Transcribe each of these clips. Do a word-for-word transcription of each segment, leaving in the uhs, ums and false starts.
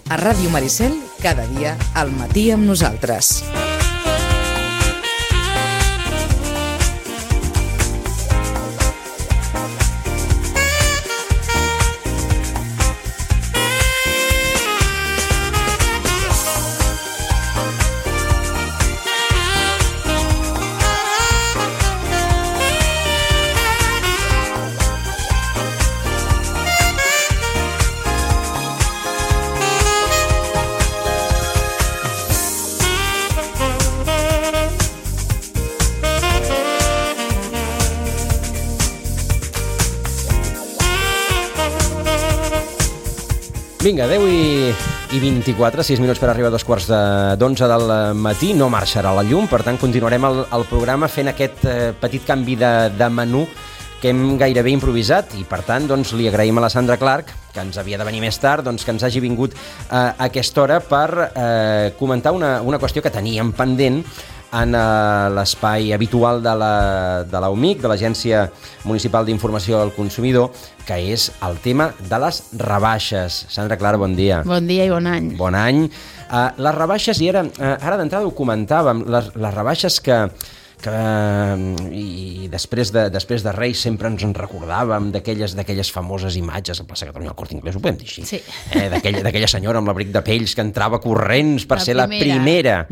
A Ràdio Maricel, cada dia al matí amb nosaltres. Vinga, deu i vint-i-quatre, sis minuts per arribar a dos quarts d'onze del matí. No marxarà la llum, per tant continuarem el, el programa fent aquest eh, petit canvi de, de menú que hem gairebé improvisat i per tant doncs, li agraïm a la Sandra Clark, que ens havia de venir més tard, doncs, que ens hagi vingut eh, a aquesta hora per eh, comentar una, una qüestió que teníem pendent en uh, l'espai habitual de la, de la U M I C, de l'Agència Municipal d'Informació al Consumidor, que és el tema de les rebaixes. Sandra Clara, bon dia. Bon dia i bon any. Bon any. Uh, les rebaixes, i ara, uh, ara d'entrada ho comentàvem, les, les rebaixes que, que i després de, després de Reis sempre ens en recordàvem d'aquelles d'aquelles famoses imatges a Plaça Catalunya, al Corte Inglés, ho podem dir així? Sí. Eh, d'aquella, d'aquella senyora amb l'abric de pells que entrava corrents per la ser primera. la primera.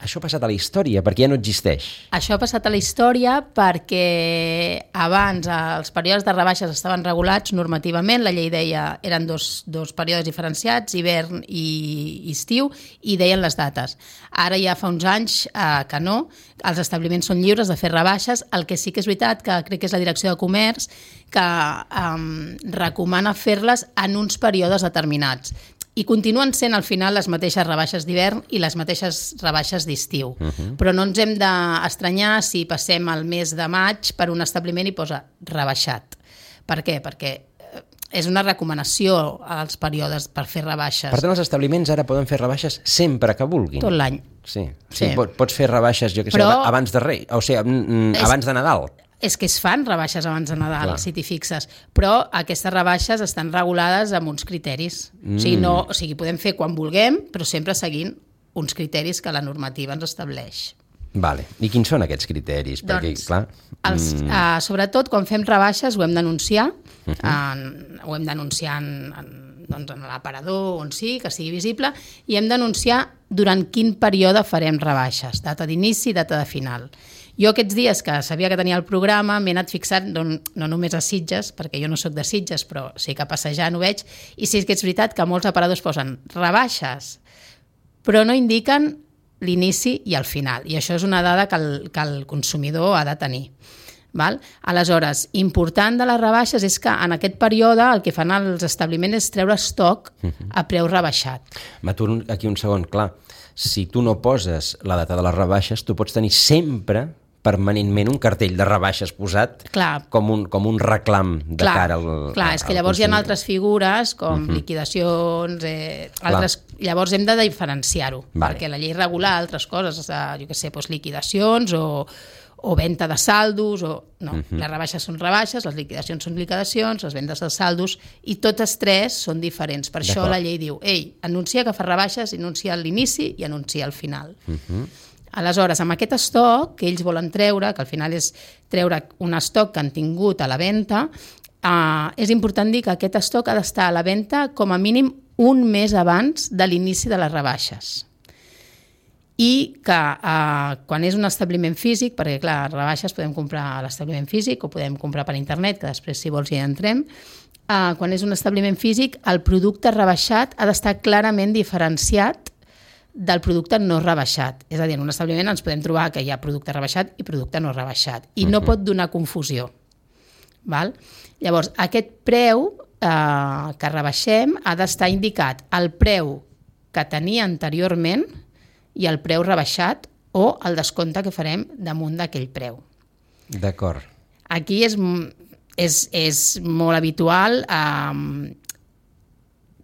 Això ha passat a la història, perquè ja no existeix. Això ha passat a la història perquè abans els períodes de rebaixes estaven regulats normativament, la llei deia eren dos, dos períodes diferenciats, hivern i estiu, i deien les dates. Ara ja fa uns anys eh, que no, els establiments són lliures de fer rebaixes, el que sí que és veritat, que crec que és la Direcció de Comerç, que eh, recomana fer-les en uns períodes determinats. I continuen sent al final les mateixes rebaixes d'hivern i les mateixes rebaixes d'estiu. Uh-huh. Però no ens hem d'estranyar si passem el mes de maig per un establiment i posa rebaixat. Per què? Perquè és una recomanació als períodes per fer rebaixes. Per tant, els establiments ara poden fer rebaixes sempre que vulguin. Tot l'any. Sí, sí. sí. Pots fer rebaixes, jo que Però... sé, abans de Rei, o sigui, és... abans de Nadal. És que es fan rebaixes abans de Nadal, Clar. si t'hi fixes, però aquestes rebaixes estan regulades amb uns criteris. Mm. O sigui, no, o sigui, podem fer quan vulguem, però sempre seguint uns criteris que la normativa ens estableix. Vale. I quins són aquests criteris? Doncs, Perquè, clar... Els, mm. uh, sobretot, quan fem rebaixes, ho hem d'anunciar, uh-huh. en, ho hem d'anunciar en, en, doncs, en l'aparador, on sí, que sigui visible, i hem d'anunciar durant quin període farem rebaixes, data d'inici i data de final. Jo aquests dies que sabia que tenia el programa m'he anat fixant no, no només a Sitges, perquè jo no sóc de Sitges, però sí que passejant ho veig, i sí que és veritat que molts aparadors posen rebaixes, però no indiquen l'inici i el final, i això és una dada que el, que el consumidor ha de tenir. Val? Aleshores, important de les rebaixes és que en aquest període el que fan els establiments és treure estoc a preu rebaixat. M'aturo aquí un segon, clar, si tu no poses la data de les rebaixes, tu pots tenir sempre permanentment un cartell de rebaixes posat clar. com un, com un reclam de clar, cara al Clar, és que llavors hi ha altres figures com uh-huh. liquidacions, eh, altres, llavors hem de diferenciar-ho, vale. perquè la llei regula altres coses, jo què sé, doncs liquidacions o, o venda de saldos, o no, uh-huh. les rebaixes són rebaixes, les liquidacions són liquidacions, les vendes de saldos, i totes tres són diferents. Per això la llei diu, ei, anuncia que fa rebaixes, anuncia l'inici i anuncia el final. Uh-huh. Aleshores, amb aquest estoc que ells volen treure, que al final és treure un estoc que han tingut a la venda, eh, és important dir que aquest estoc ha d'estar a la venda com a mínim un mes abans de l'inici de les rebaixes. I que eh, quan és un establiment físic, perquè clar, rebaixes podem comprar a l'establiment físic o podem comprar per internet, que després si vols hi entrem, eh, quan és un establiment físic, el producte rebaixat ha d'estar clarament diferenciat del producte no rebaixat. És a dir, en un establiment ens podem trobar que hi ha producte rebaixat i producte no rebaixat. I no pot donar confusió. Val? Llavors, aquest preu eh, que rebaixem ha d'estar indicat el preu que tenia anteriorment i el preu rebaixat o el descompte que farem damunt d'aquell preu. D'acord. Aquí és, és, és molt habitual eh,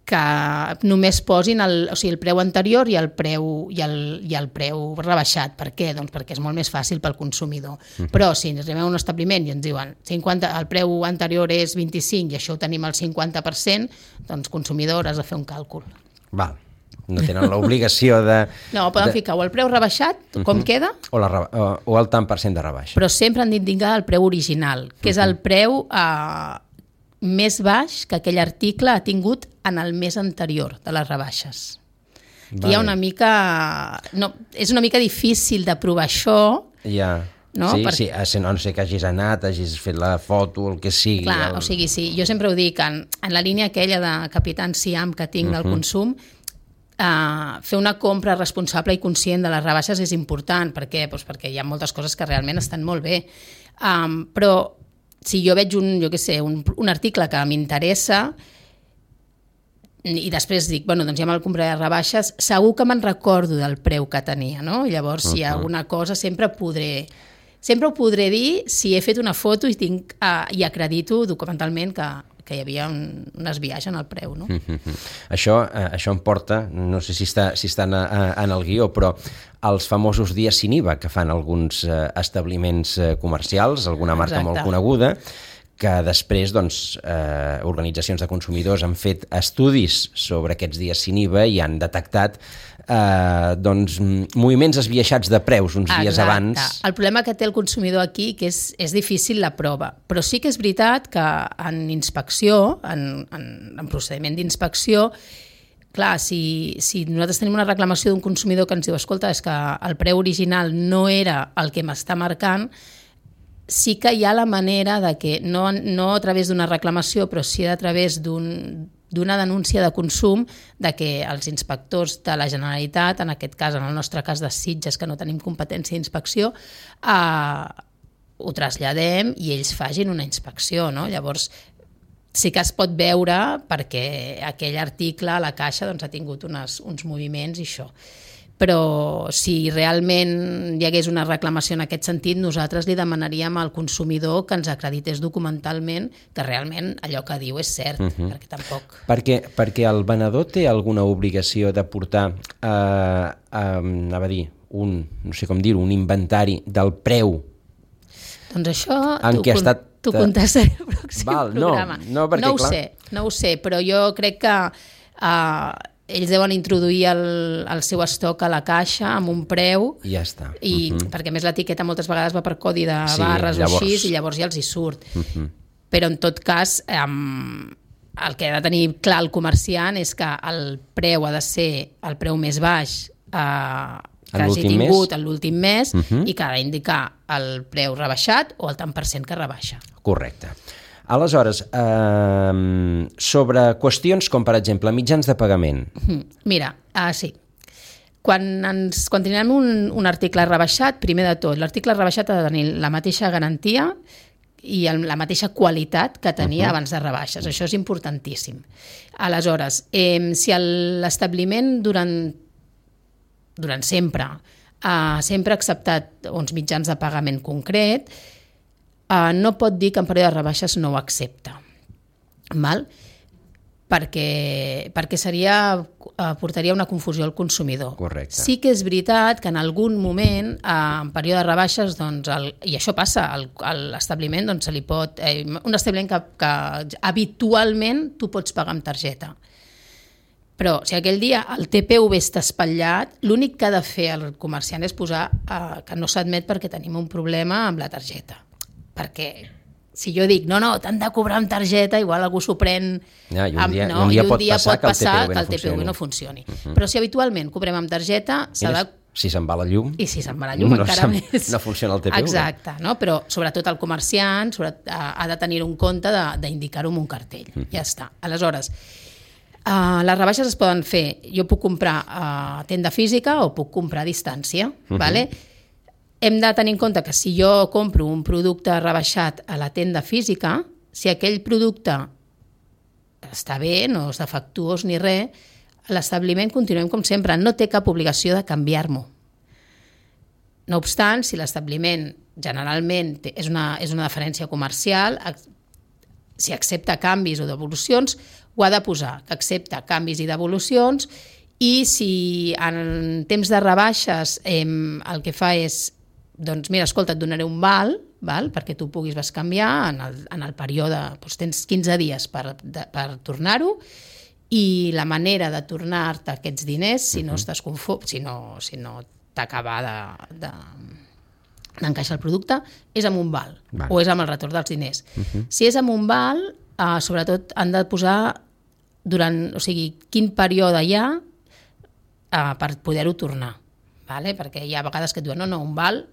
que només posin el, o sigui, el preu anterior i el preu, i el, i el preu rebaixat. Per què? Doncs perquè és molt més fàcil pel consumidor. Uh-huh. Però si ens arribem a un establiment i ens diuen cinquanta, el preu anterior és vint-i-cinc i això ho tenim al cinquanta per cent, doncs consumidor has de fer un càlcul. Val. No tenen l'obligació de... No, poden de... ficar o el preu rebaixat, uh-huh. com queda, o, la, o, o el tant per cent de rebaixa. Però sempre han d'indicar el preu original, que uh-huh. és el preu eh, més baix que aquell article ha tingut en el mes anterior de les rebaixes. Vale. Hi ha una mica... No, és una mica difícil de provar això. Ja... No? Sí, per... sí, si no, no sé que hagis anat, hagis fet la foto, el que sigui. Clar, el... o sigui, sí, jo sempre ho dic, en, en la línia aquella de Capitán Siam que tinc uh-huh. del consum, uh, fer una compra responsable i conscient de les rebaixes és important. Per què? Pues perquè hi ha moltes coses que realment estan molt bé. Um, però si jo veig un, jo què sé, un, un article que m'interessa i després dic, bueno, doncs ja me'l compraré a rebaixes, segur que me'n recordo del preu que tenia, no? I llavors, uh-huh. si hi ha alguna cosa, sempre podré... Sempre ho podré dir si he fet una foto i, tinc, uh, i acredito documentalment que, que hi havia un, un esbiaix en el preu. No? Mm-hmm. Això, eh, això em porta, no sé si està, si està en, en el guió, però els famosos dies sin I V A que fan alguns eh, establiments eh, comercials, alguna marca Exacte. Molt coneguda, que després doncs, eh, organitzacions de consumidors han fet estudis sobre aquests dies sin I V A i han detectat eh, doncs, moviments esbiaixats de preus uns Exacte. Dies abans. El problema que té el consumidor aquí que és, és difícil la prova, però sí que és veritat que en inspecció, en, en, en procediment d'inspecció, clar, si, si nosaltres tenim una reclamació d'un consumidor que ens diu escolta, és que el preu original no era el que m'està marcant, sí que hi ha la manera de que, no, no a través d'una reclamació, però sí a través d'un, d'una denúncia de consum, de que els inspectors de la Generalitat, en aquest cas, en el nostre cas de Sitges, que no tenim competència d'inspecció, eh, ho traslladem i ells facin una inspecció, no? Llavors, sí que es pot veure perquè aquell article a la caixa doncs, ha tingut unes, uns moviments i això. Però si realment hi hagués una reclamació en aquest sentit, nosaltres li demanaríem al consumidor que ens acredités documentalment que realment allò que diu és cert, uh-huh. perquè tampoc... Perquè, perquè el venedor té alguna obligació de portar, eh, eh, anava a dir, un, no sé com dir-ho, un inventari del preu. Doncs això t'ho con estat... contestaré al pròxim Val, programa. No, no, perquè, no ho clar... sé, no ho sé, però jo crec que... Eh, ells deuen introduir el, el seu estoc a la caixa amb un preu i ja està. I, uh-huh. perquè a més l'etiqueta moltes vegades va per codi de sí, barres llavors... o així i llavors ja els hi surt. Uh-huh. Però en tot cas um, el que ha de tenir clar el comerciant és que el preu ha de ser el preu més baix uh, que hagi tingut en l'últim mes uh-huh. i que ha d'indicar el preu rebaixat o el tant per cent que rebaixa. Correcte. Aleshores, eh, sobre qüestions com, per exemple, mitjans de pagament. Mira, ah, sí. Quan, ens, quan tenim un, un article rebaixat, primer de tot, l'article rebaixat ha de tenir la mateixa garantia i el, la mateixa qualitat que tenia uh-huh. abans de rebaixes. Això és importantíssim. Aleshores, eh, si l'establiment durant, durant sempre ha sempre acceptat uns mitjans de pagament concret, Uh, no pot dir que en període de rebaixes no ho accepta, val? Perquè, perquè seria, uh, portaria una confusió al consumidor. Correcte. Sí que és veritat que en algun moment, uh, en període de rebaixes, doncs el, i això passa, el, l'establiment doncs, se li pot, eh, un establiment que, que habitualment tu pots pagar amb targeta. Però si aquell dia el T P V està espatllat, l'únic que ha de fer el comerciant és posar uh, que no s'admet perquè tenim un problema amb la targeta. Perquè si jo dic, no, no, t'han de cobrar amb targeta, igual algú s'ho pren... Ja, i un amb, dia, no, un dia, un pot, dia passar pot passar que el T P V no funcioni. No funcioni. Uh-huh. Però si habitualment cobrem amb targeta... Mira, de... si se'n va la llum... I si se'n va la llum no encara més... No funciona el T P V. Exacte, no? Però sobretot el comerciant sobre, ha de tenir un compte d'indicar-ho amb un cartell. Uh-huh. Ja està. Aleshores, uh, les rebaixes es poden fer... Jo puc comprar a tenda física o puc comprar a distància, uh-huh. vale? Hem de tenir en compte que si jo compro un producte rebaixat a la tenda física, si aquell producte està bé, no és defectuós ni res, l'establiment continuem com sempre, no té cap obligació de canviar-m'ho. No obstant, si l'establiment generalment té, és, una, és una deferència comercial, si accepta canvis o devolucions, ho ha de posar, que accepta canvis i devolucions, i si en temps de rebaixes eh, el que fa és doncs mira, escolta, et donaré un val, val perquè tu puguis bescanviar en el, en el període, doncs tens quinze dies per, de, per tornar-ho, i la manera de tornar-te aquests diners, si no Uh-huh. estàs conforme, si no, si no t'acaba de, de, d'encaixar el producte, és amb un val, Val. o és amb el retorn dels diners. Uh-huh. Si és amb un val, eh, sobretot han de posar durant, o sigui, quin període hi ha eh, per poder-ho tornar, vale? Perquè hi ha vegades que et diuen, no, no, un val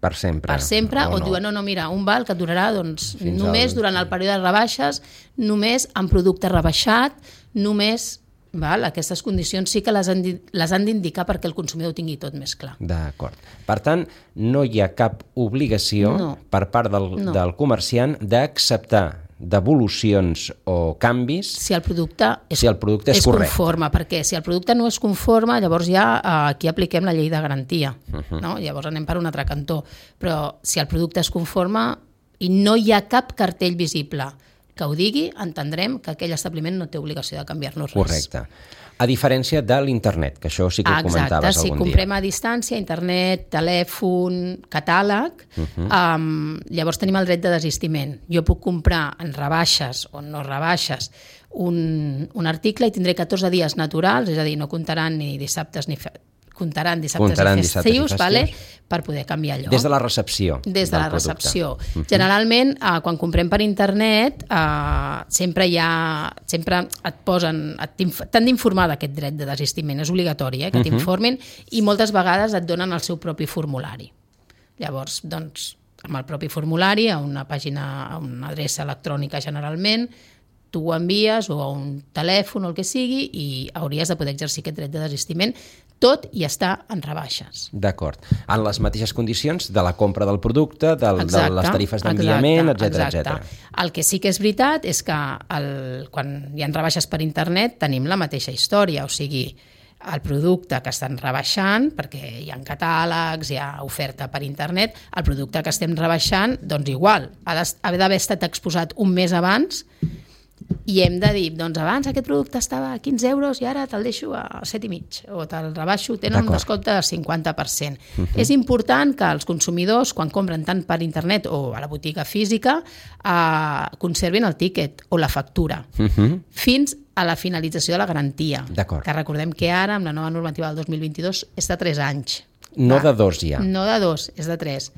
Per sempre. per sempre, o, o no. diuen, no, no, mira, un val que et durarà doncs, Fins només al- durant el període de rebaixes, només amb producte rebaixat, només, val? Aquestes condicions sí que les han, di- les han d'indicar perquè el consumidor ho tingui tot més clar. D'acord. Per tant, no hi ha cap obligació No. per part del, No. del comerciant d'acceptar devolucions o canvis Si el producte és, si el producte és, és correcte. conforme, perquè si el producte no és conforme, llavors ja eh, aquí apliquem la llei de garantia, Uh-huh. no? Llavors anem per un altre cantó. Però si el producte és conforme i no hi ha cap cartell visible que ho digui, entendrem que aquell establiment no té obligació de canviar-nos res. Correcte. A diferència de l'internet, que això sí que ho Exacte, comentaves si algun comprem dia. a distància, internet, telèfon, catàleg, Uh-huh. um, llavors tenim el dret de desistiment. Jo puc comprar en rebaixes o no rebaixes un, un article i tindré catorze dies naturals, és a dir, no comptaran ni dissabtes ni fe... comptaran dissabtes Comptaran i dissabtes i festius, festius. vale? Per poder canviar allò. Des de la recepció Des de del la producte. recepció. Generalment, eh, quan comprem per internet, eh, sempre hi ha, sempre et posen, et t'inf- t'han d'informar d'aquest dret de desistiment, és obligatori, eh, que t'informin, i moltes vegades et donen el seu propi formulari. Llavors, doncs, amb el propi formulari, a una pàgina, a una adreça electrònica generalment, tu ho envies o a un telèfon o el que sigui i hauries de poder exercir aquest dret de desistiment, tot i està en rebaixes. D'acord. En les mateixes condicions de la compra del producte, del, Exacte, de les tarifes d'enviament, exacte, etcètera, exacte. etcètera. El que sí que és veritat és que el, quan hi ha rebaixes per internet tenim la mateixa història, o sigui, el producte que estan rebaixant, perquè hi ha catàlegs, hi ha oferta per internet, el producte que estem rebaixant, doncs igual, ha d'est- ha d'haver estat exposat un mes abans i hem de dir, doncs abans aquest producte estava a quinze euros i ara te'l deixo a set i mig, o te'l rebaixo, tenen un D'acord. descompte del cinquanta per cent. Uh-huh. És important que els consumidors, quan compren tant per internet o a la botiga física, eh, conservin el tíquet o la factura Uh-huh. fins a la finalització de la garantia. D'acord. Que recordem que ara, amb la nova normativa del dos mil vint-i-dos, és de tres anys. No Va. de dos ja. No de dos, és de tres.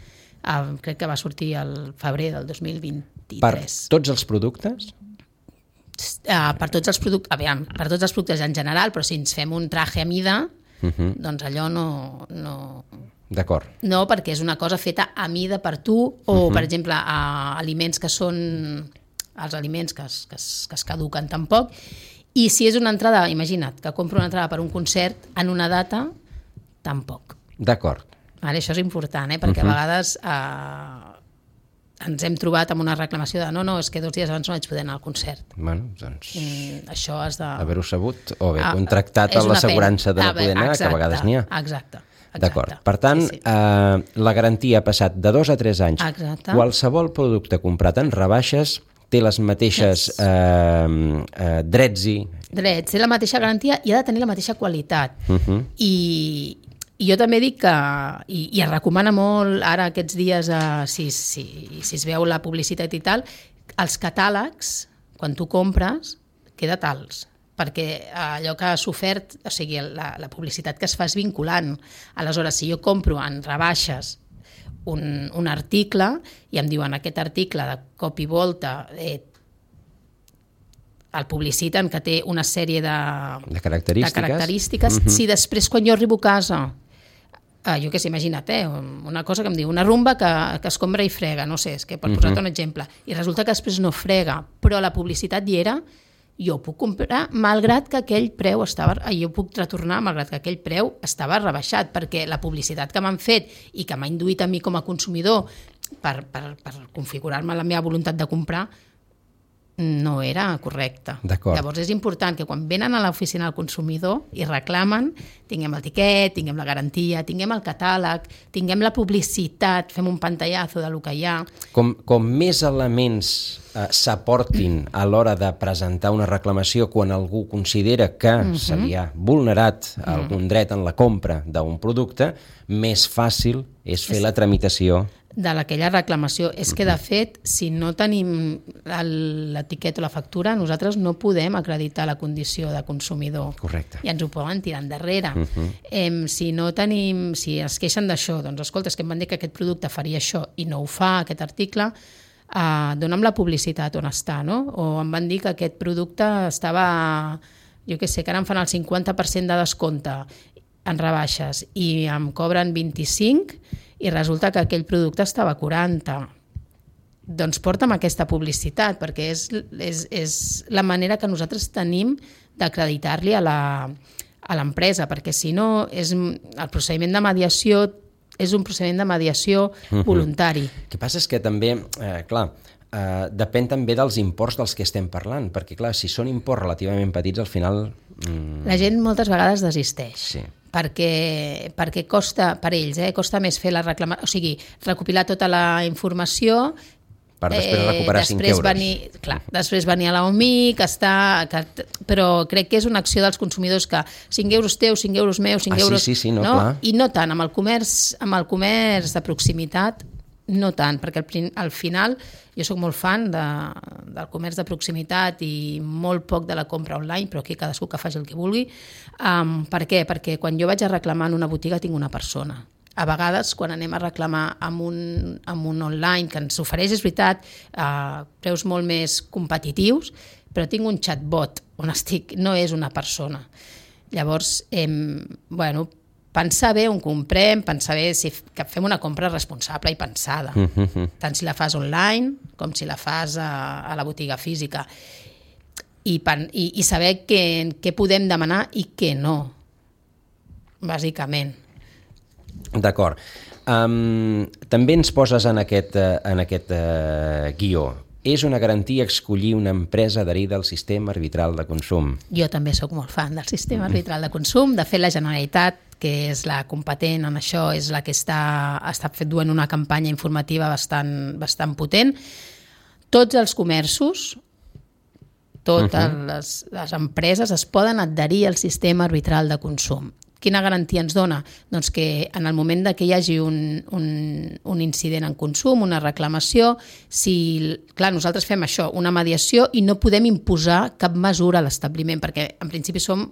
Uh, crec que va sortir al febrer del dos mil Per vint-i-tres. tots els productes? Uh, per tots els productes, aviam, per tots els productes en general, però si ens fem un traje a mida, Uh-huh. doncs allò no, no, D'acord. no, perquè és una cosa feta a mida per tu, o, uh-huh. per exemple, a aliments que són els aliments que es, que, es, que es caduquen tampoc, i si és una entrada, imagina't, que compro una entrada per un concert en una data, tampoc. D'acord. Vale, això és important, eh? Perquè uh-huh. a vegades eh, ens hem trobat amb una reclamació de no, no, és que dos dies abans no vaig poder anar al concert. Bueno, doncs, Mm, això has de... haver-ho sabut o haver Ah, contractat és a una l'assegurança de pena. no A veure, poder anar, exacte, que a vegades n'hi ha. Exacte. exacte. D'acord. Per tant, Sí, sí. eh, la garantia ha passat de dos a tres anys. Exacte. Qualsevol producte comprat en rebaixes té les mateixes Yes. eh, eh, drets i... Drets, té la mateixa garantia i ha de tenir la mateixa qualitat. Uh -huh. I, I jo també dic que, i, i es recomana molt ara aquests dies, eh, si, si, si es veu la publicitat i tal, els catàlegs, quan tu compres, queda tals, perquè allò que has ofert, o sigui, la, la publicitat que es fa és vinculant. Aleshores, si jo compro en rebaixes un, un article i em diuen aquest article de cop i volta eh, el publiciten que té una sèrie de, De característiques. de característiques. Mhm. Si després, quan jo arribo a casa, eh, jo què sé, imagina't, eh, una cosa que em diu, una rumba que, que escombra i frega, no sé, és que per Mhm. posar-te un exemple, i resulta que després no frega, però la publicitat hi era, jo puc comprar malgrat que aquell preu estava, eh, jo puc retornar malgrat que aquell preu estava rebaixat, perquè la publicitat que m'han fet i que m'ha induït a mi com a consumidor per, per, per configurar-me la meva voluntat de comprar no era correcta. D'acord. Llavors és important que quan venen a l'oficina del consumidor i reclamen, tinguem el tiquet, tinguem la garantia, tinguem el catàleg, tinguem la publicitat, fem un pantallazo de lo que hi ha. Com, com més elements eh, s'aportin a l'hora de presentar una reclamació quan algú considera que uh-huh. se li ha vulnerat uh-huh. algun dret en la compra d'un producte, més fàcil és fer la tramitació de aquella reclamació. És que, de fet, si no tenim l'etiqueta o la factura, nosaltres no podem acreditar la condició de consumidor. Correcte. I ens ho poden tirar endarrere. Uh -huh. eh, si no tenim, si es queixen d'això, doncs escolta, és que em van dir que aquest producte faria això i no ho fa, aquest article, eh, dona'm la publicitat on està, no? O em van dir que aquest producte estava, jo què sé, que ara em fan el cinquanta per cent de descompte en rebaixes i em cobren vint-i-cinc i resulta que aquell producte estava a quaranta. Doncs porta'm aquesta publicitat, perquè és, és, és la manera que nosaltres tenim d'acreditar-li a la, a l'empresa, perquè si no, és, el procediment de mediació és un procediment de mediació voluntari. Uh-huh. El que passa és que també, eh, clar, eh, depèn també dels imports dels que estem parlant, perquè clar, si són imports relativament petits, al final... Mm... La gent moltes vegades desisteix. Sí. Perquè, perquè costa, per ells, eh, costa més fer la reclamació, o sigui, recopilar tota la informació per després recuperar eh, cinc després euros. Venir, clar, després venir a l'O M I, que està, que, però crec que és una acció dels consumidors que cinc euros teus, cinc euros meus, cinc ah, euros... Sí, sí, sí, no, no? clar. I no tant, amb el comerç, amb el comerç de proximitat, no tant, perquè al, al final jo sóc molt fan de, del comerç de proximitat i molt poc de la compra online, però aquí cadascú que faci el que vulgui. Um, per què? Perquè quan jo vaig a reclamar en una botiga tinc una persona. A vegades, quan anem a reclamar amb un, amb un online que ens ofereix, és veritat, uh, preus molt més competitius, però tinc un chatbot on estic, no és una persona. Llavors, eh, bueno, pensar bé on comprem, pensar bé si que fem una compra responsable i pensada, uh-huh. tant si la fas online com si la fas a, a la botiga física. I, i, i saber què, què podem demanar i què no, bàsicament. D'acord. Um, també ens poses en aquest, en aquest uh, guió. És una garantia escollir una empresa adherida al sistema arbitral de consum. Jo també sóc molt fan del sistema arbitral de consum. De fet, la Generalitat, que és la competent en això, és la que està, està duent una campanya informativa bastant, bastant potent. Tots els comerços, totes uh-huh. les, les empreses es poden adherir al sistema arbitral de consum. Quina garantia ens dona? Doncs que en el moment de que hi hagi un, un, un incident en consum, una reclamació, si, clar, nosaltres fem això, una mediació, i no podem imposar cap mesura a l'establiment, perquè en principi som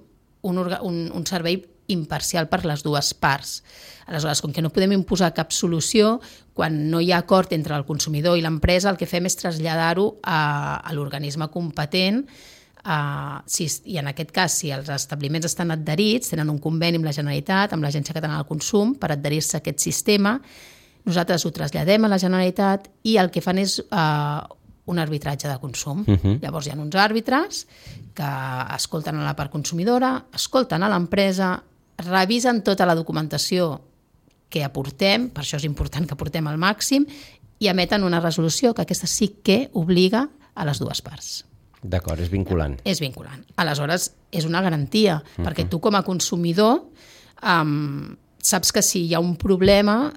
un, un, un servei imparcial per les dues parts. Aleshores, com que no podem imposar cap solució, quan no hi ha acord entre el consumidor i l'empresa, el que fem és traslladar-ho a, a l'organisme competent. Uh, si, i en aquest cas, si els establiments estan adherits, tenen un conveni amb la Generalitat, amb l'Agència Catalana del Consum, per adherir-se a aquest sistema, nosaltres ho traslladem a la Generalitat i el que fan és uh, un arbitratge de consum. Uh-huh. Llavors hi ha uns àrbitres que escolten a la part consumidora, escolten a l'empresa, revisen tota la documentació que aportem, per això és important que aportem al màxim, i emeten una resolució que aquesta sí que obliga a les dues parts. D'acord, és vinculant. És vinculant. Aleshores, és una garantia, uh-huh. perquè tu com a consumidor um, saps que si hi ha un problema,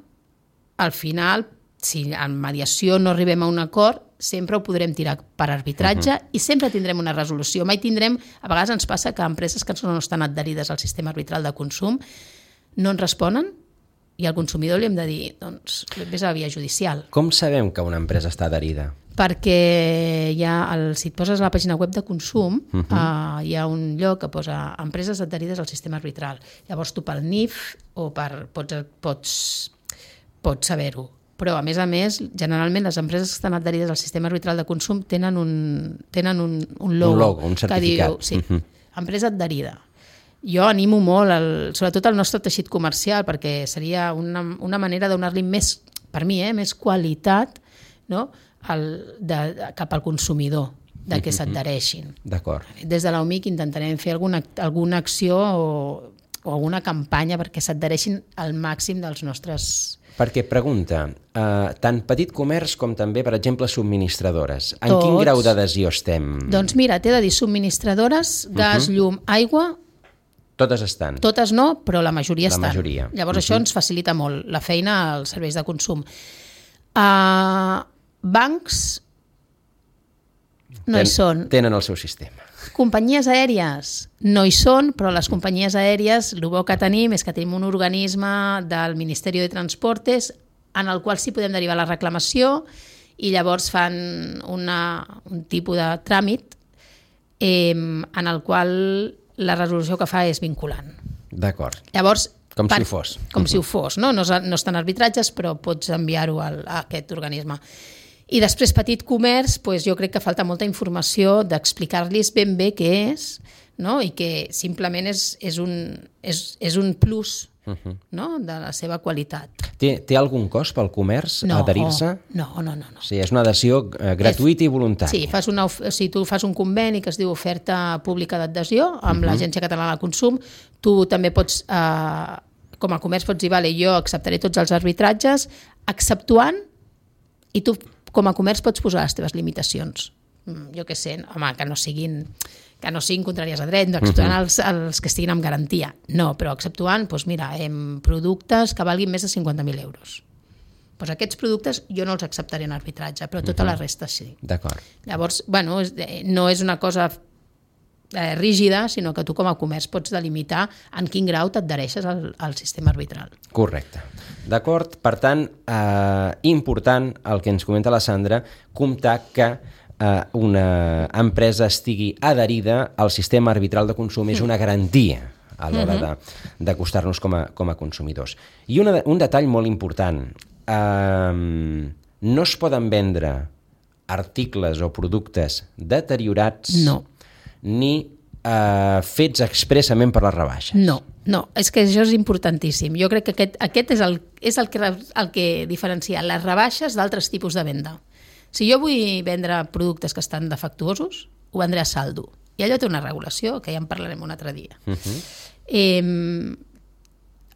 al final, si en mediació no arribem a un acord, sempre ho podrem tirar per arbitratge uh-huh. i sempre tindrem una resolució. Mai tindrem, a vegades ens passa que empreses que no estan adherides al sistema arbitral de consum no ens responen i al consumidor li hem de dir, doncs, vés a la via judicial. Com sabem que una empresa està adherida? Perquè hi ha el, si et poses a la pàgina web de consum, uh-huh. uh, hi ha un lloc que posa empreses adherides al sistema arbitral. Llavors tu pel N I F o per, pots, pots, pots saber-ho. Però, a més a més, generalment les empreses que estan adherides al sistema arbitral de consum tenen un, tenen un, un logo, un logo, un certificat. Que diu, sí, uh-huh. empresa adherida. Jo animo molt, el, sobretot el nostre teixit comercial, perquè seria una, una manera de donar-li més, per mi, eh, més qualitat, no?, el, de, de, cap al consumidor, de que s'adhereixin. D'acord. Des de l'O M I C intentarem fer alguna, alguna acció o, o alguna campanya perquè s'adhereixin al màxim dels nostres... Perquè, pregunta, eh, tant petit comerç com també, per exemple, subministradores, en Tots. quin grau d'adhesió estem? Doncs mira, t'he de dir, subministradores, gas, uh-huh. llum, aigua... Totes estan? Totes no, però la majoria la estan. Majoria. Llavors uh-huh. això ens facilita molt la feina als serveis de consum. Uh, bancs no Ten, hi són. Tenen el seu sistema. Companyies aèries no hi són, però les companyies aèries, el bo que tenim és que tenim un organisme del Ministeri de Transportes en el qual sí podem derivar la reclamació i llavors fan una, un tipus de tràmit eh, en el qual la resolució que fa és vinculant. D'acord. Llavors, com per, si ho fos. Com uh-huh. si ho fos, no? No, no estan arbitratges, però pots enviar-ho a, a aquest organisme. I després, petit comerç, doncs jo crec que falta molta informació d'explicar-los ben bé què és, no? I que simplement és, és, un, és, és un plus uh-huh. no? de la seva qualitat. Té, té algun cost pel comerç no, adherir-se? No, no, no, no. O sigui, és una adhesió eh, gratuïta i voluntària. Sí, fas una, o sigui, tu fas un conveni que es diu oferta pública d'adhesió amb uh-huh. l'Agència Catalana de Consum. Tu també pots, eh, com a comerç pots dir, vale, jo acceptaré tots els arbitratges, exceptuant, i tu com a comerç pots posar les teves limitacions. Jo què sé, home, que no siguin... que no siguin contràries a dret, no, exceptuant uh-huh. els, els que estiguin amb garantia. No, però exceptuant, doncs mira, en productes que valguin més de cinquanta mil euros. Doncs aquests productes jo no els acceptaré en arbitratge, però tota uh-huh. la resta sí. D'acord. Llavors, bueno, no és una cosa eh, rígida, sinó que tu com a comerç pots delimitar en quin grau t'adhereixes al, al sistema arbitral. Correcte. D'acord? Per tant, eh, important el que ens comenta la Sandra, comptar que una empresa estigui adherida al sistema arbitral de consum és una garantia a l'hora de, d'acostar-nos com a, com a consumidors. I una, un detall molt important, eh, no es poden vendre articles o productes deteriorats no. ni eh, fets expressament per les rebaixes. No, no, és que això és importantíssim. Jo crec que aquest, aquest és, el, és el, que, el que diferencia les rebaixes d'altres tipus de venda. Si jo vull vendre productes que estan defectuosos, ho vendré a saldo. I allò té una regulació, que ja en parlarem un altre dia. Uh-huh. eh,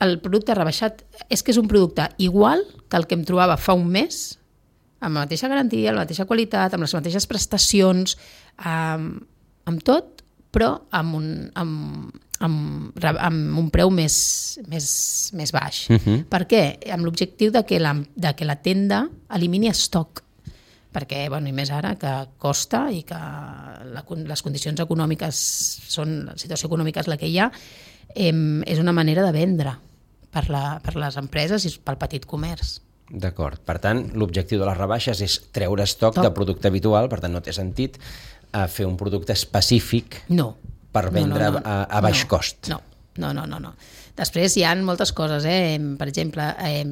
el producte rebaixat és que és un producte igual que el que em trobava fa un mes, amb la mateixa garantia, la mateixa qualitat, amb les mateixes prestacions, amb, amb tot, però amb un, amb, amb, amb un preu més, més, més baix. Uh-huh. Per què? Amb l'objectiu de que la, de que la tenda elimini estoc. Perquè, bueno, i més ara, que costa i que la, les condicions econòmiques són, la situació econòmica és la que hi ha, eh, és una manera de vendre per, la, per les empreses i pel petit comerç. D'acord. Per tant, l'objectiu de les rebaixes és treure estoc Top. de producte habitual, per tant no té sentit a fer un producte específic no. per vendre no, no, no. a, a baix no. cost. No, no, no, no, no. Després hi ha moltes coses, eh? Per exemple, eh,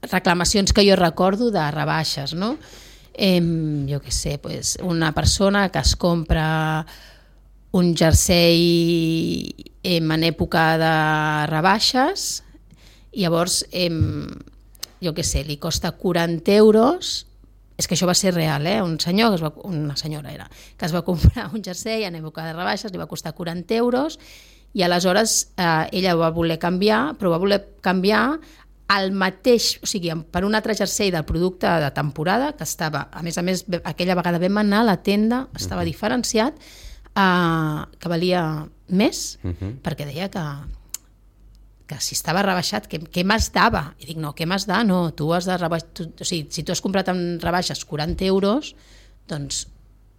reclamacions que jo recordo de rebaixes, no? Eh, jo què sé, pues, una persona que es compra un jersei eh, en època de rebaixes i llavors eh, jo què sé, li costa quaranta euros, és que això va ser real, eh? Un senyor, que es va, una senyora era, que es va comprar un jersei en època de rebaixes, li va costar quaranta euros i aleshores eh, ella va voler canviar, però va voler canviar el mateix, o sigui, per un altre jersei del producte de temporada, que estava, a més a més, aquella vegada vam anar a la tenda, estava uh-huh. diferenciat, eh, que valia més, uh-huh. perquè deia que, que si estava rebaixat, que, què m'has dava? I dic, no, què m'has da? No, tu has de rebaixar, tu, o sigui, si tu has comprat en rebaixes quaranta euros, doncs,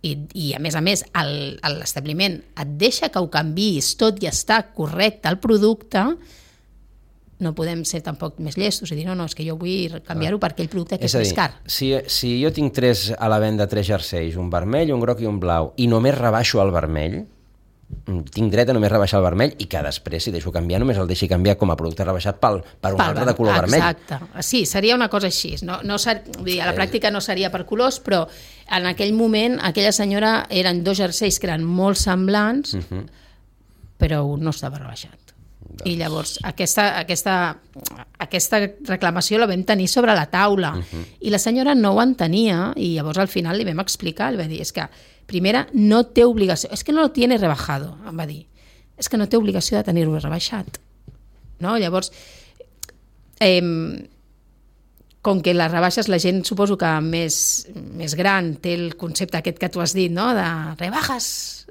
i, i a més a més, el, l'establiment et deixa que ho canviïs tot i està correcte el producte, no podem ser tampoc més llestos i dir, no, no, és que jo vull canviar-ho per aquell producte que és, és més car. Si, si jo tinc tres a la venda, tres jerseis, un vermell, un groc i un blau, i només rebaixo el vermell, tinc dret a només rebaixar el vermell i que després, si deixo canviar, només el deixi canviar com a producte rebaixat pel, per un pel, altre de color exacte. vermell. Exacte. Sí, seria una cosa així. No, no ser, vull dir, a la pràctica no seria per colors, però en aquell moment aquella senyora eren dos jerseis que eren molt semblants, uh-huh. però un no estava rebaixat. Doncs... I llavors aquesta, aquesta, aquesta reclamació la vam tenir sobre la taula uh-huh. i la senyora no ho entenia i llavors al final li vam explicar, li vam dir, és que primera no té obligació, és que no lo tiene rebajado, em va dir, és que no té obligació de tenir-ho rebaixat, no? Llavors eh, com que les rebaixes la gent suposo que més, més gran té el concepte aquest que tu has dit, no? De rebajas.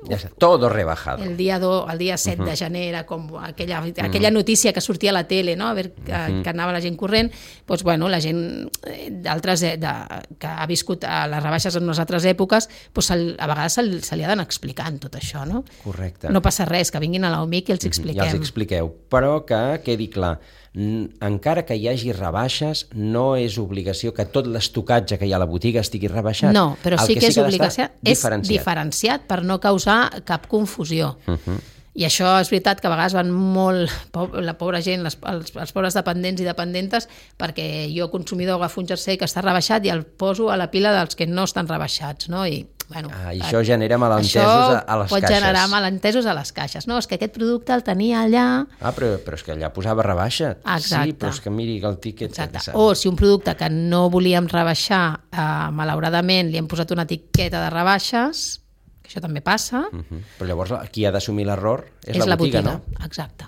Ja sé, todo rebajado. El dia, do, el dia set uh-huh. de gener era com aquella, aquella notícia que sortia a la tele, no? A veure que, uh-huh. que anava la gent corrent. Doncs, bueno, la gent d'altres de, que ha viscut a les rebaixes en unes altres èpoques, doncs el, a vegades se, se li ha d'anar explicant tot això, no? Correcte. No passa res, que vinguin a l'O M I C i els expliquem. Ja els expliqueu, però que quedi clar, encara que hi hagi rebaixes, no és obligació que tot l'estocatge que hi ha a la botiga estigui rebaixat. No, però sí que, que, que és obligació, és diferenciat. diferenciat per no causar cap confusió. Uh-huh. I això és veritat que a vegades van molt, la pobra gent, les, els, els pobres dependents i dependentes, perquè jo, consumidor, agafo un jersei que està rebaixat i el poso a la pila dels que no estan rebaixats, no? I, bueno, ah, i això genera malentesos a, a les pot caixes. Pot generar malentesos a les caixes. No, és que aquest producte el tenia allà... Ah, però, però és que allà posava rebaixa. Exacte. Sí, però és que miri el tíquet... Exacte. O si un producte que no volíem rebaixar, eh, malauradament li hem posat una etiqueta de rebaixes... Això també passa. Uh-huh. Però llavors qui ha d'assumir l'error és, és la botiga, la botiga, no? Exacte.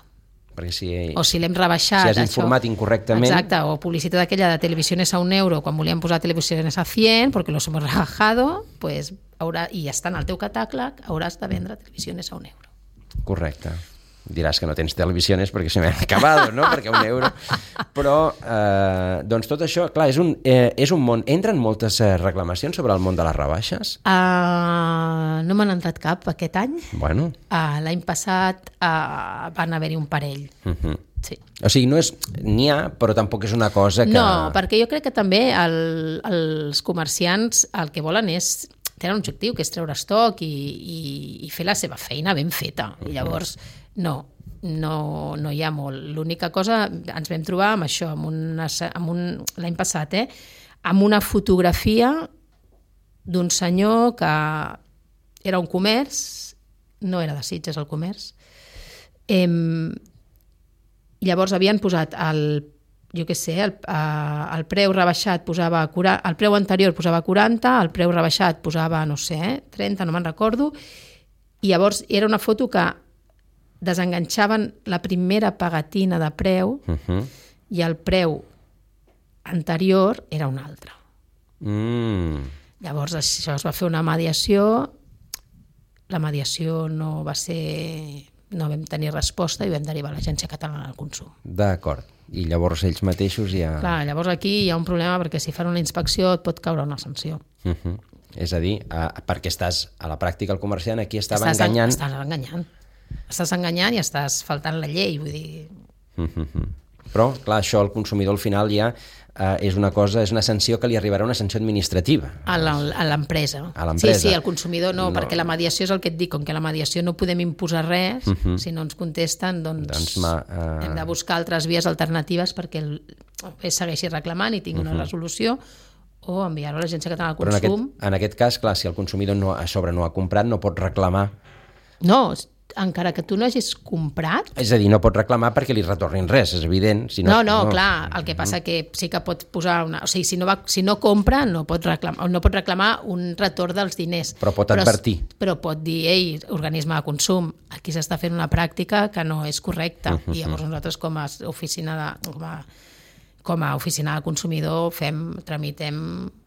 Perquè si, o si l'hem rebaixat... Si has informat això, incorrectament... Exacte, o publicitat aquella de televisiones a un euro quan volíem posar televisiones a cien, porque los hemos rebajado, pues, haurà, i està en el teu catàleg, hauràs de vendre televisiones a un euro. Correcte. Diràs que no tens televisiones perquè se m'ha acabat, no? Perquè un euro... Però, eh, doncs tot això, clar, és un, eh, és un món... Entren moltes eh, reclamacions sobre el món de les rebaixes? Uh, no m'han entrat cap aquest any. Bueno. Uh, L'any passat uh, van haver-hi un parell. Uh-huh. Sí. O sigui, no és... N'hi ha, però tampoc és una cosa que... No, perquè jo crec que també el, els comerciants el que volen és... Tenen un objectiu, que és treure estoc i, i, i fer la seva feina ben feta. I llavors, no, no, no hi ha molt. L'única cosa, ens vam trobar amb això, amb una, amb un, l'any passat, eh, amb una fotografia d'un senyor que era un comerç, no era de Sitges el comerç, eh, llavors havien posat el jo què sé, el, eh, el preu rebaixat posava, el preu anterior posava quaranta, el preu rebaixat posava, no sé, eh, trenta, no me'n recordo, i llavors era una foto que desenganxaven la primera pegatina de preu uh-huh. i el preu anterior era un altre. Mm. Llavors això es va fer una mediació, la mediació no va ser... no vam tenir resposta i vam derivar a l'Agència Catalana del Consum. D'acord. I llavors ells mateixos ja... Clar, llavors aquí hi ha un problema perquè si fan una inspecció et pot caure una sanció. Uh-huh. És a dir, uh, perquè estàs a la pràctica el comerciant, aquí estava estàs enganyant... Estàs enganyant. Estàs enganyant i estàs faltant la llei, vull dir... Uh-huh. Però, clar, això al consumidor al final ja uh, és una cosa, és una sanció que li arribarà una sanció administrativa. A l'empresa. A l'empresa. Sí, sí, al consumidor no, no, perquè la mediació és el que et dic, com que la mediació no podem imposar res, uh-huh. si no ens contesten, doncs, doncs ma, uh... hem de buscar altres vies alternatives perquè el, el segueixi reclamant i tingui uh-huh. una resolució, o enviar-ho a l'Agència Catalana del Consum. Però en aquest, en aquest cas, clar, si el consumidor no, a sobre no ha comprat, no pot reclamar. No, encara que tu no hagis comprat... És a dir, no pot reclamar perquè li retornin res, és evident. Si no, no, no, no, clar, el que passa que sí que pot posar una... O sigui, si no, va, si no compra, no pot, reclamar, no pot reclamar un retorn dels diners. Però pot advertir. Però, però pot dir, ei, organisme de consum, aquí s'està fent una pràctica que no és correcta. Uh-huh. I llavors nosaltres com a oficina de... Com a, com a oficina de consumidor fem, tramitem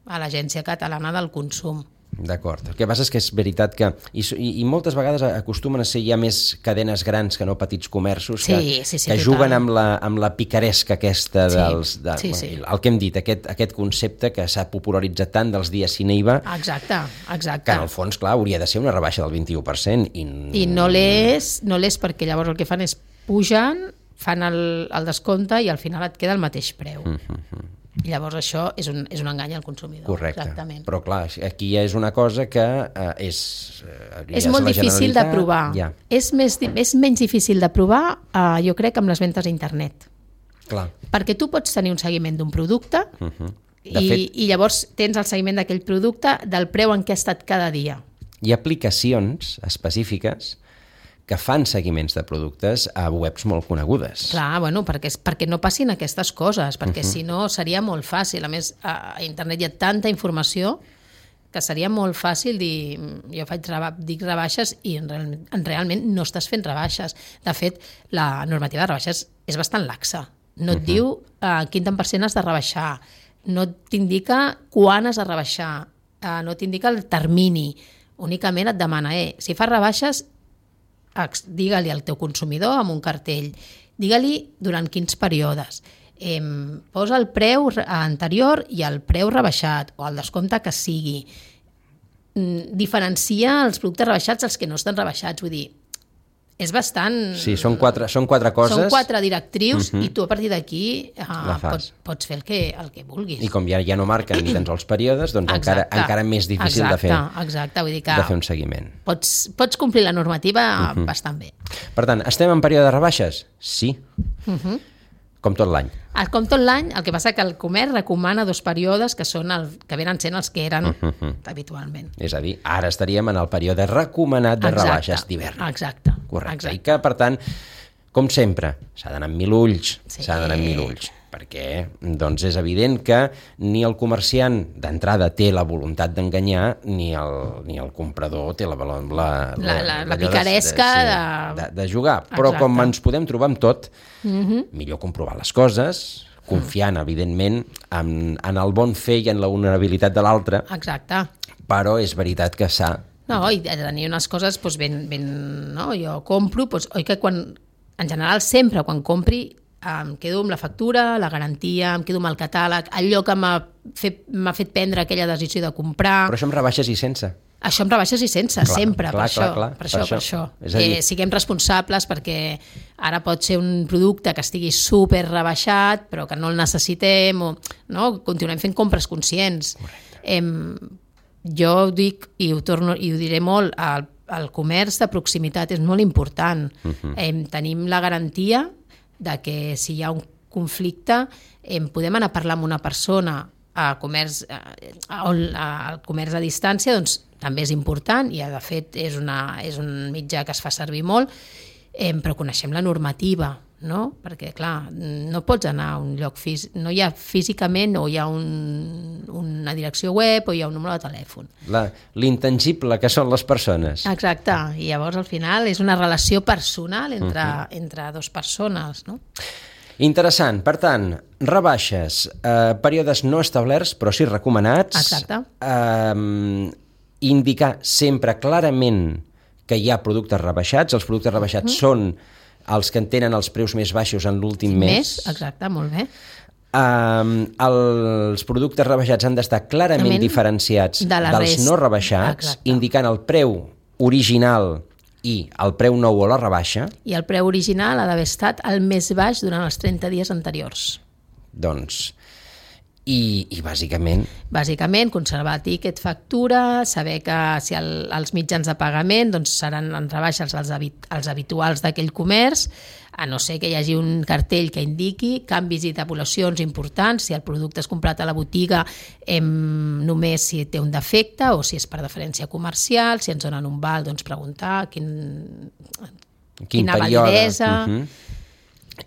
a l'Agència Catalana del Consum. D'acord. El que passa és que és veritat que... I, i moltes vegades acostumen a ser ja més cadenes grans que no petits comerços que, sí, sí, sí, que total. juguen amb la, amb la picaresca aquesta dels... Sí, de, sí, sí. El que hem dit, aquest, aquest concepte que s'ha popularitzat tant dels dies sine I V A, exacte, exacte. que en el fons, clar, hauria de ser una rebaixa del vint-i-u per cent. I, I no l'és, no l'és perquè llavors el que fan és pugen, fan el, el descompte i al final et queda el mateix preu. Mm-hmm. I llavors això és un, és un engany al consumidor. Correcte, exactament. Però clar, aquí ja és una cosa que eh, és... Eh, és molt difícil de provar. Ja. És, més, és menys difícil de provar, eh, jo crec, amb les ventes a internet. Clar. Perquè tu pots tenir un seguiment d'un producte uh-huh. i, fet, i llavors tens el seguiment d'aquell producte del preu en què ha estat cada dia. Hi ha aplicacions específiques que fan seguiments de productes a webs molt conegudes. Clar, bueno, perquè, perquè no passin aquestes coses, perquè uh-huh. si no seria molt fàcil. A més, a internet hi ha tanta informació que seria molt fàcil dir, jo faig reba, dic rebaixes i en, real, en realment no estàs fent rebaixes. De fet, la normativa de rebaixes és bastant laxa. No et uh-huh. diu uh, quin tant per cent has de rebaixar, no t'indica quan has de rebaixar, uh, no t'indica el termini, únicament et demana, eh, si fas rebaixes, digue-li al teu consumidor amb un cartell, digue-li durant quins períodes, eh, posa el preu anterior i el preu rebaixat o el descompte que sigui, mm, diferencia els productes rebaixats dels que no estan rebaixats, vull dir, és bastant... Sí, són quatre, són quatre coses. Són quatre directrius uh-huh. i tu a partir d'aquí uh, pots, pots fer el que, el que vulguis. I com ja, ja no marquen ni tan sols períodes, doncs encara, encara més difícil exacte, de, fer, exacte. Vull dir que de fer un seguiment. Pots, pots complir la normativa uh-huh. bastant bé. Per tant, estem en període de rebaixes? Sí. Uh-huh. Com tot l'any. Com tot l'any, el que passa que el comerç recomana dos períodes que són el, que venen sent els que eren uh-huh. habitualment. És a dir, ara estaríem en el període recomanat de exacte, rebaixes d'hivern. Exacte. Correcte. Exacte. I que, per tant, com sempre, s'ha d'anar amb mil ulls, sí. s'ha d'anar amb mil ulls, perquè doncs, és evident que ni el comerciant d'entrada té la voluntat d'enganyar, ni el, ni el comprador té la, la, la, la, la, la picaresca de, de, sí, de, de jugar. Però exacte. Com ens podem trobar amb tot, uh-huh. millor comprovar les coses, confiant, uh-huh. evidentment, en, en el bon fer i en la vulnerabilitat de l'altre. Exacte. Però és veritat que s'ha... No, i tenir unes coses doncs, ben... ben no? Jo compro, doncs, oi que quan... En general, sempre quan compri em quedo amb la factura, la garantia, em quedo amb el catàleg, allò que m'ha fet, m'ha fet prendre aquella decisió de comprar... Però això amb rebaixes i sense. Això amb rebaixes i sense, clar, sempre, clar, per, clar, això, clar, per, per això, per això. És a dir... Eh, siguem responsables perquè ara pot ser un producte que estigui super rebaixat però que no el necessitem o no? Continuem fent compres conscients. Eh, jo ho dic i ho, torno, i ho diré molt, el, el comerç de proximitat és molt important. Uh-huh. Eh, tenim la garantia de que si hi ha un conflicte eh, podem anar a parlar amb una persona a comerç, a, a, a, al comerç a distància, doncs també és important i de fet és, una, és un mitjà que es fa servir molt, eh, però coneixem la normativa, no? Perquè clar, no pots anar a un lloc físic, no hi ha físicament o hi ha un, una direcció web o hi ha un número de telèfon. La, l'intangible que són les persones. Exacte, i llavors al final és una relació personal entre, uh-huh. entre dues persones, no? Interessant. Per tant, rebaixes, eh, períodes no establerts però sí recomanats. Exacte. Eh, indicar sempre clarament que hi ha productes rebaixats. Els productes rebaixats uh-huh. són els que en tenen els preus més baixos en l'últim mes. Més, exacte, molt bé. Um, els productes rebaixats han d'estar clarament Realment diferenciats de dels rest. no rebaixats, exacte. Indicant el preu original i el preu nou o la rebaixa. I el preu original ha d'haver estat el més baix durant els trenta dies anteriors. Doncs... I, i bàsicament... Bàsicament, conservar tiquet, factura, saber que si el, els mitjans de pagament doncs seran en rebaixes els, habit, els habituals d'aquell comerç, a no ser que hi hagi un cartell que indiqui canvis i tabulacions importants, si el producte és comprat a la botiga em, només si té un defecte o si és per deferència comercial, si ens donen un val, doncs preguntar quin, quin quina període. validesa... Uh-huh.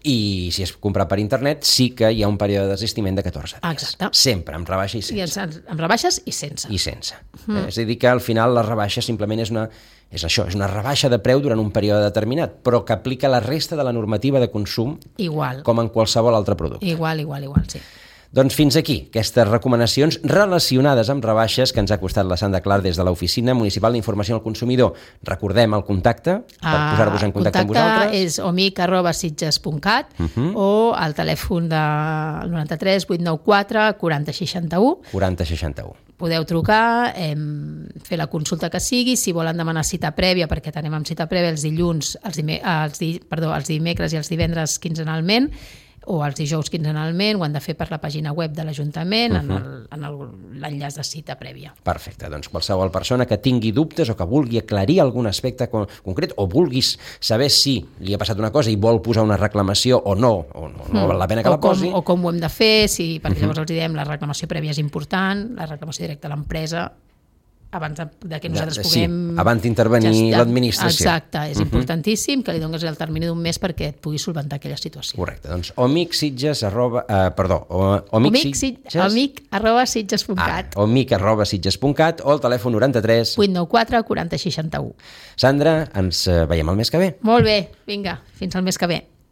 I si es comprat per internet sí que hi ha un període de desistiment de catorze dies. Exacte. Sempre, amb rebaixa i sense. I amb rebaixes i sense. I sense. Mm. Eh, és a dir que al final la rebaixa simplement és una, és això, és una rebaixa de preu durant un període determinat, però que aplica la resta de la normativa de consum igual. Com en qualsevol altre producte. Igual, igual, igual, sí. Doncs fins aquí, aquestes recomanacions relacionades amb rebaixes que ens ha costat la Sandra Clar des de l'Oficina Municipal d'Informació al Consumidor. Recordem el contacte per uh, posar-vos en contacte amb vosaltres. El contacte és omic arroba sitges punt cat uh-huh. o el telèfon del noranta-tres vuit nou quatre quaranta seixanta-u. quaranta seixanta-u. Podeu trucar, eh, fer la consulta que sigui, si volen demanar cita prèvia, perquè tenim amb cita prèvia els dilluns, els, dime, els, di, perdó, els dimecres i els divendres quinzenalment, o els dijous quinzenalment, ho han de fer per la pàgina web de l'Ajuntament, uh-huh. en l'enllaç de cita prèvia. Perfecte, doncs qualsevol persona que tingui dubtes o que vulgui aclarir algun aspecte concret o vulguis saber si li ha passat una cosa i vol posar una reclamació o no, o no, no val la pena que o la posi. Com, o com ho hem de fer, si, perquè uh-huh. llavors els diem la reclamació prèvia és important, la reclamació directa a l'empresa, abans de, de que nosaltres de, puguem... Sí, abans d'intervenir ja l'administració. Exacte, és uh-huh. importantíssim que li donis el termini d'un mes perquè et pugui solventar aquella situació. Correcte, doncs omic sitges arroba... Uh, perdó, omic sitges... Omic arroba sitges punt cat. Ah, omic arroba sitges punt cat o el telèfon noranta-tres vuit nou quatre quaranta seixanta-u. Sandra, ens veiem el mes que ve. Molt bé, vinga, fins al mes que ve.